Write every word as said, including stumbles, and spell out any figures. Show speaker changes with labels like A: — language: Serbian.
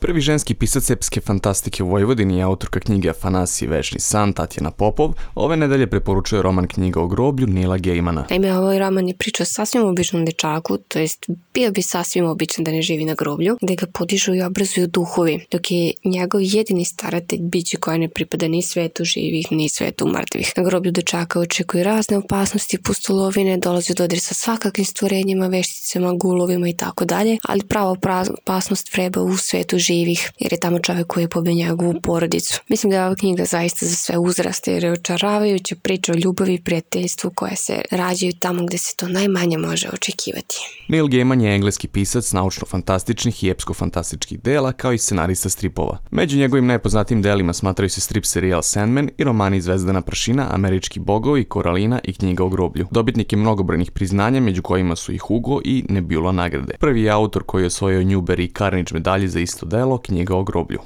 A: Prvi ženski pisac epske fantastike u Vojvodini je autorka knjige Afanasije Večni san Tatjana Popov. Ove nedelje preporučuje roman Knjiga o groblju Neila Gaimana.
B: Naime, ovaj roman je priča o sasvim običnom dečaku, to jest bio bi sasvim običan da ne živi na groblju, gde ga podižu i obrazuju duhovi, dok je njegov jedini staratelj biće koje ne pripada ni svetu živih, ni svetu mrtvih. Na groblju dečaka očekuju razne opasnosti, pustolovine, dolazi u dodir sa svakakvim stvorenjima, vešticama, gulovima i tako dalje, ali prava opasnost vreba u svetu živih, jer je tamo čovjek koji je pobio njegovu porodicu. Mislim da je ova knjiga zaista za sve uzraste, jer je očaravajuća priča o ljubavi i prijateljstvu koje se rađaju tamo gde se to najmanje može očekivati.
A: Neil Gaiman je engleski pisac naučno-fantastičnih i epsko-fantastičkih dela, kao i scenarista stripova. Među njegovim najpoznatijim delima smatraju se strip serijal Sandman i romani Zvezdana prašina, Američki bogovi, Koralina i Knjiga o groblju. Dobitnik je mnogobrojnih priznanja, među kojima su i Hugo i Nebula nagrade. Prvi je autor koji je osvojio Newbery i Carnegie medalje za isto delo, Knjiga o groblju.